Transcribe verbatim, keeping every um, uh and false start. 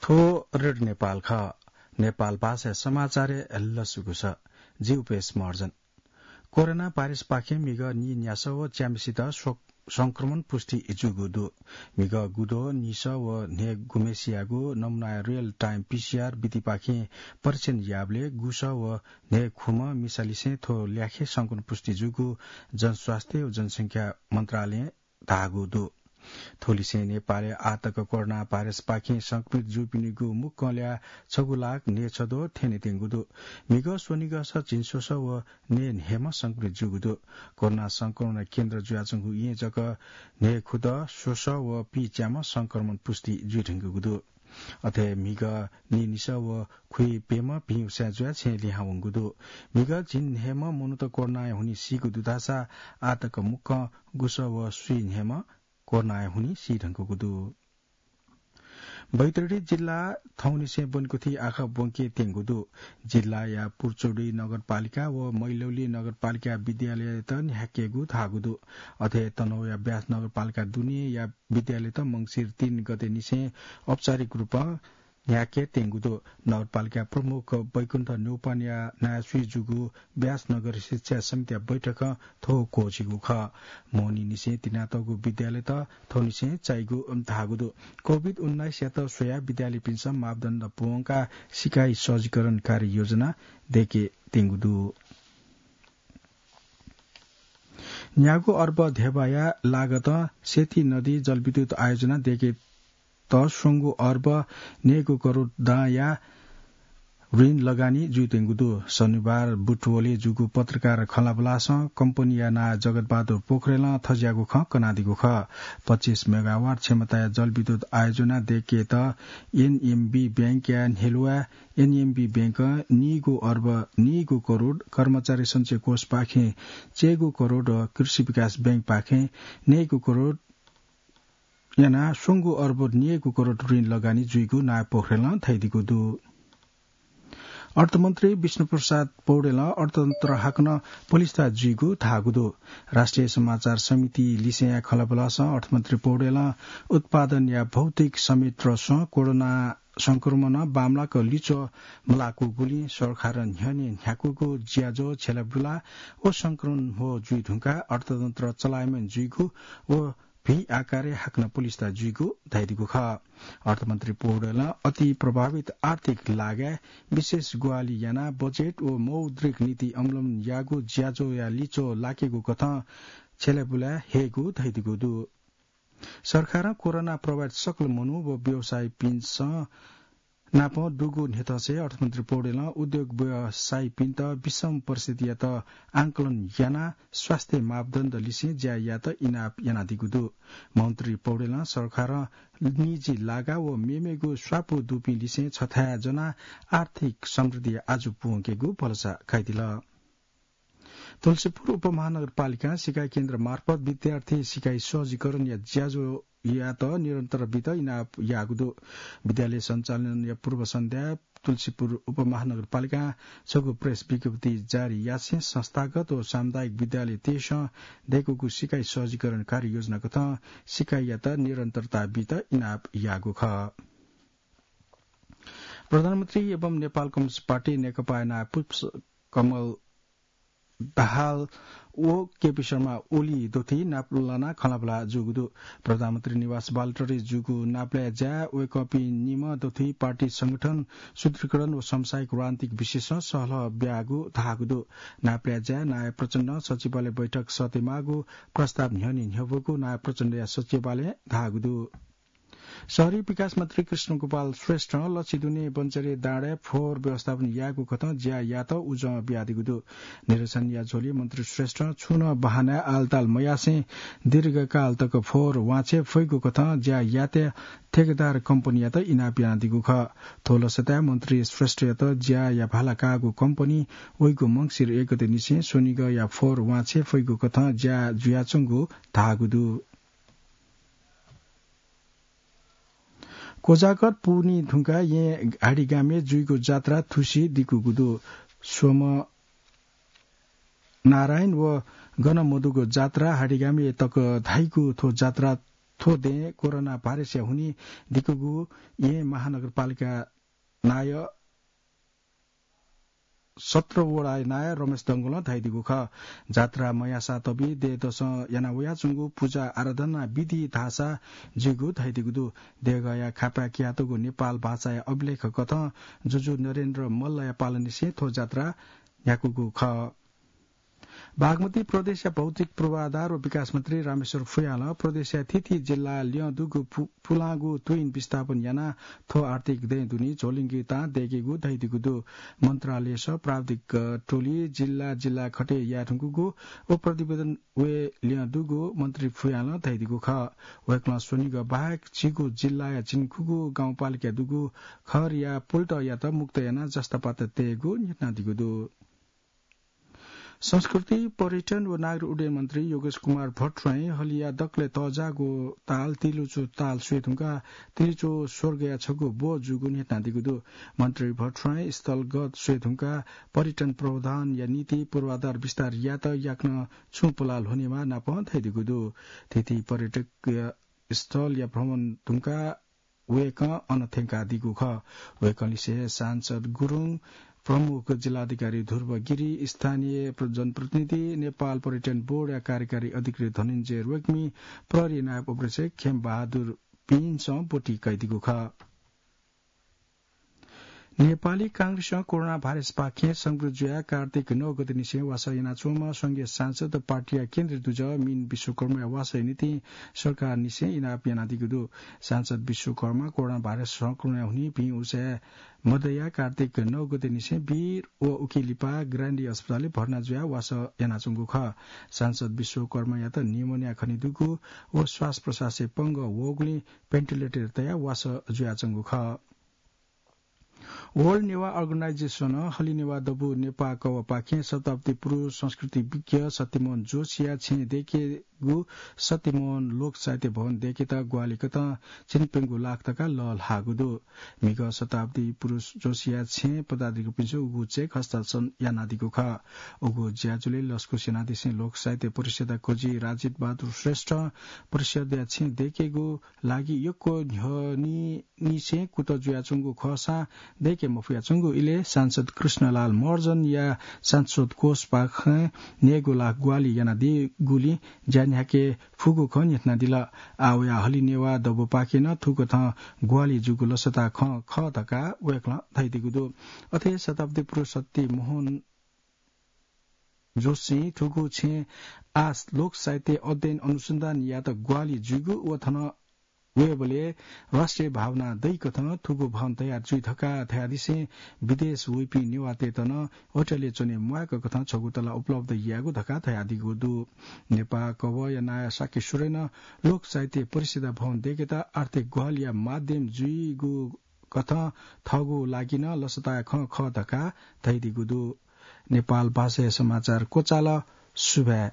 थ्व रेडियो नेपाल खः। नेपाल भाषाया समाचारय् लसकुस। जि उपेश महर्जन। कोरोना भाइरसपाखें म्हिगः नीन्यासः व च्याम्हेसित स्व-, संक्रमण पुष्टि जूगु दु। म्हिगः गुद्वः, नीसः व न्हय् गुम्हेसियागु नमुनाया real time P C R विधिपाखें परीक्षण याःबलय् गुसः व न्हय् खुम्ह मिसालिसें थ्व ल्याखय् संक्रमण पुष्टि जूगु जनस्वास्थ्य व जनसंख्या मन्त्रालयं धाःगु दु। थुलिसें नेपालय् आःतक कोरोना भाइरसपाखें संक्रमित जूपिनिगु मुक्कं ल्याः छगू लाख न्हय् छद्वः थ्यनेत्यंगु दु। म्हिगः स्वनिगःसः झिंस्वसः व न्हय् न्हय्म्ह संक्रमित जूगु दु। कोरोना संक्रमण केन्द्र जुयाच्वंगु येँ जक न्हय् खुद्वः, स्वसः व पीच्याम्ह संक्रमण पुष्टि जुइधुंकूगु दु। अथे म्हिगः नीनिसः व खुइप्यम्ह भिं उसाँय् जुयाः छेँय् लिहां वंगु दु। म्हिगः झिंन्हय्म्ह मनूत कोरोनाया हुनिं सीगु दु धाःसा आःतक मुक्कं गुसः व स्वीन्हय्म्ह कोरोनाया हुनिं सीधुंकूगु दु। बैतडी जिल्ला थौंनिसें ब्वनेकुथि आखः ब्वंकेत्यंगु दु। जिल्लाया पुर्चोडी नगरपालिका व मैलौली नगरपालिका विद्यालयत न्ह्याकेगु धाःगु दु। अथे तनहुँया ब्यास नगरपालिका दुनेया विद्यालयत मंसिर तीन गतेनिसें औपचारिक रूपं न्ह्याकेत्यंगु दु। नगरपालिका प्रमुख बैकुण्ठ न्यौपानया नायःस्वी जूगु ब्यास नगर शिक्षा समितिया बैठकं थ्व क्वःछिगु खः। मोहनीनिसें तिनातःगु विद्यालयत थौंनिसें चाइगु धाःगु दु। कोभिड उन्नाइसयात स्वयाः विद्यालयपिन्सं मापदण्ड पूवंकाः सिकाइ सहजीकरण कार्ययोजना दय्केत्यंगु दु। न्यागू अर्ब ध्यबाया लागतं सेती नदी जलविद्युत आयोजना दय्केत स्वंगू अर्ब न्यय्गू करोड दांया ऋण लगानी जुइत्यंगु दु। शनिबार बुटवलय् जूगु पत्रकार खँल्हाबल्हासं कम्पनीया नायः जगतबहादुर पोखरेलं थज्याःगु खँ कनादीगु खः। पच्चीस मेगावाट क्षमताया जलविद्युत आयोजना दय्केत एनएमबी बैंकया न्ह्यलुवा एनएमबी बैंकं नीगू अर्ब नीगू करोड, कर्मचारी सञ्चय कोषपाखें चय्गू करोड व कृषि विकास बैंकपाखें न्यय्गू करोड यानाः स्वंगू अर्ब न्यय्गू करोड ऋण लगानी जुइगु नायः पोखरेलं धयादीगु दु। अर्थमन्त्री विष्णुप्रसाद पौडेलं अर्थतन्त्र हाकनं पलिस्था जुइगु धाःगु दु। राष्ट्रिय समाचार समिति लिसेंया खँल्हाबल्हासं अर्थमन्त्री पौडेलं उत्पादनया भौतिक समेट्रसं कोरोना संक्रमणं बांमलाक लिच्वः मलाकूगुलिं सरकारं न्ह्यःने न्ह्याकूगु ज्याझ्वः छ्यलाबुला व संक्रमण ह्वः जुइधुंकाः अर्थतन्त्र चलायमान जुइगु व भी आकारय् हाकनं पलिस्था जुइगु धयादीगु खः। अर्थमन्त्री पौडेलं अति प्रभावित आर्थिक लागाय् विशेष ग्वाहालि यानाः बजेट व मौद्रिक नीति अवलम्बन याःगु ज्याझ्वःया लिच्वः लाकेगु कथं छ्यलाबुला हयेगु धयादीगु दु। सरकारं कोरोना प्रभावित सकल मनू व व्यवसायीपिन्सं नाप दुगु न्ह्यथंसे अर्थमन्त्री पौडेलं उद्योग व्यवसायीपिन्त विषम परिस्थितियात आंकलन यानाः स्वास्थ्य मापदण्ड लिसें ज्या यायेत इनाप यानादीगु दु। मन्त्री पौडेलं सरकारं निजी लागा व मेमेगु स्वापू दुपिं लिसें छथाय् ज्वनाः आर्थिक समृद्धि आजु पूवंकेगु भलसा कयादिल। तुलसीपुर उपमहानगरपालिकां सिकाइ केन्द्र मार्फत विद्यार्थी सिकाइ सहजीकरणया ज्याझ्वःयात निरन्तरता बीत इनाप याःगु दु। विद्यालय सञ्चालनया पूर्व सन्ध्याय् तुलसीपुर उपमहानगरपालिकां छगू प्रेस विज्ञप्ति जारी यासें संस्थागत व सामुदायिक विद्यालयतय्सं दय्कूगु सिकाइ सहजीकरण कार्ययोजना कथं सिकाइयात निरन्तरता बीत इनाप याःगु खः। प्रधानमन्त्री एवं नेपाल कम्युनिस्ट पार्टी नेकपाया नायः पुष्पकमल दाहाल व केपी शर्मा ओली दथुइ नापलानाः खँल्हाबल्हा जूगु दु। प्रधानमन्त्री निवास बालुवाटारय् जूगु नापलाये ज्याय् वय्कःपिं निम्ह दथुइ पार्टी संगठन सुदृढीकरण व समसामयिक रणनीतिक विषयसं सहलह ब्याःगु धाःगु दु। नापलाये ज्याय् नायः प्रचण्डं सचिवालय बैठक सःतेमाःगु प्रस्ताव न्ह्यःने न्ह्यब्वःगु नायः प्रचण्डया सचिवालयं धाःगु दु। शहरी विकास मन्त्री कृष्णगोपाल श्रेष्ठं लच्छि दुने बञ्चरे डाँडाय् फोहोर व्यवस्थापन यायेगु कथं ज्या यायेत उजं बियादीगु दु। निरीक्षणया झ्वलय् मन्त्री श्रेष्ठं छुं नं बहानाय् आलताल मयासें दीर्घकाल तक फोहोर वांछ्वये फइगु कथं ज्या यायेत ठेकेदार कम्पनीयात इनाप यानादीगु खः। थ्व लसताय् मन्त्री श्रेष्ठयात ज्याया भाला काःगु कम्पनी वइगु मंसिर एक गतेनिसें स्वनिगःया फोहोर वांछ्वये फइगु कथं ज्या जुयाच्वंगु धाःगु दु। कोजागर पूवनी धुंकाः येँ हाडीगामय् जुइगु जात्रा थुसी दिकूगु दु। स्वम्ह नारायण व गन मदुगु जात्रा हाडीगामय् तक धाइगु थ्व जात्रा थ्व दँय् कोरोना भाइरसया हुनिं दिकूगु येँ महानगरपालिका नायः सत्र वडा नायः रमेश डंगोलं धयादीगु खः। जात्रा मयाःसा तबि देय् दसं याना वयाच्वंगु पुजा आराधना विधि धाःसा जुइगु धयादीगु दु। देगःया खापाय् कियातःगु नेपाल भाषाया अभिलेख कथं जुजु नरेन्द्र मल्लया पालंनिसें थ्व जात्रा न्ह्याकूगु खः। बागमती प्रदेशया भौतिक पूर्वाधार व विकास मन्त्री रामेश्वर फुयालं प्रदेशया थीथी जिल्ला ल्यं दुगु पु-, पुलांगु तुइन विस्थापन यानाः थ्व आर्थिक दँय् दुने झोलिंगितां दय्केगु धयादीगु दु। मन्त्रालयस प्राविधिक टोली जिल्ला जिल्ला खटे याये धुंकूगु व प्रतिवेदन वये ल्यं दुगु मन्त्री फुयालं धयादीगु खः। वय्कलं स्वनिगः बाहेक झीगु जिल्लाया झिंखुगू गाउँपालिका दुगु खहरया पुल्टयात मुक्त यानाः जस्तापात तयेगु न्ह्यथनादीगु दु। संस्कृति, पर्यटन व नागरिक उड्डयन मन्त्री योगेश कुमार भट्टराईं हलिया दकलय् तःजाःगु ताल तिलिचो ताल स्वये धुंकाः तिलिचो स्वर्गया छगू ब्व जूगु न्ह्यथनादीगु दु। मन्त्री भट्टराईं स्थलगत स्वये धुंकाः पर्यटन प्रवर्धनया निंतिं पूर्वाधार विस्तार यायेत याकनं छुं पुलाः ल्ह्वनेमाः नापं धयादीगु दु। थीथी पर्यटकीय स्थलया भ्रमण धुंकाः वय्कः अन थ्यंकादीगु खः। वय्कःलिसे सांसद गुरुङ, प्रमुख जिल्लाधिकारी ध्रुव गिरी, स्थानीय प्र-, जनप्रतिनिधि, नेपाल पर्यटन बोर्डया कार्यकारी अधिकृत धनञ्जय रेग्मी, प्रहरी नायब उपरीक्षक खेम बहादुर पिन्सं ब्वति कयादीगु खः। नेपाली कांग्रेसं कोरोना भाइरसपाखें संक्रमित जुयाः कार्तिक नौ गतेनिसें वासः यानाच्वंम्ह संघीय सांसद पार्टीया केन्द्रीय दुजः मिन विश्वकर्माया वासःया निंतिं सरकारनिसें इनाप यानादीगु दु। सांसद विश्वकर्मा कोरोना भाइरस संक्रमणया हुनिं भिं उसाँय् मदयाः कार्तिक नौ गतेनिसें वीर व उकी लिपा ग्रान्डी अस्पतालय् भर्ना जुयाः वासः यानाच्वंगु खः। सांसद विश्वकर्मायात निमोनिया खनेदुगु व श्वास प्रश्वासय् पंगः वःगुलिं भेन्टिलेटर तयाः वासः जुयाच्वंगु खः। World Newah Organization-ं हलिनेवाः दबू नेपाः कवःपाखें शताब्दी पुरुष संस्कृति विज्ञ सत्यमोहन जोशीया छेँय् दय्केगु सत्यमोहन लोक साहित्य भवन दय्केत ग्वाहालि कथं झिंप्यंगू लाख तका लःल्हाःगु दु। म्हिगः शताब्दी पुरुष जोशीया छेँय् पदाधिकारीपिन्सं उगु चेक हस्ताक्षर यानादीगु खः। उगु ज्याझ्वलय् लसकुस यानादिसें लोक साहित्य परिषद्या खोजी राजित बहादुर श्रेष्ठं परिषद्या छेँय् दय्केगु लागि यक्व न्ह्यःनिसें कुतः जुयाच्वंगु खःसां दय्के मफयाच्वंगु इलय् सांसद कृष्णलाल महर्जनया सांसद कोषपाखें न्यय्गू लाख ग्वाहालि यानादीगुलिं ज्या न्ह्याके फुगु खँ न्ह्यथनादिल। आः वयाः हलिनेवाः दबूपाखें नं थुकथं ग्वाहालि जूगु लसताया खँ खः धकाः वय्कलं धयादीगु दु। अथे शताब्दी पुरुष सत्यमोहन जोशीं थुगु छेँय् आः लोक साहित्य अध्ययन अनुसन्धान यायेत ग्वाहालि जुइगु व थन वयेबलय् राष्ट्रिय भावना दइकथं थुगु भवन तयार जुइ धकाः धयादिसें विदेश वइपिं नेवाःतय्त नं होटलय् च्वने म्वाय्क कथं छगू तला उपलब्ध यायेगु धकाः धयादीगु दु। नेपाः कवःया नायः शाक्य सुरेनं लोक साहित्य परिषद्या भवन दय्केत आर्थिक ग्वाहालिया माध्यम जुइगु कथं थःगु लागि नं लसताया खँ खः धकाः धयादीगु दु। नेपाल भाषाया समाचार क्वचाल। सुभाय्।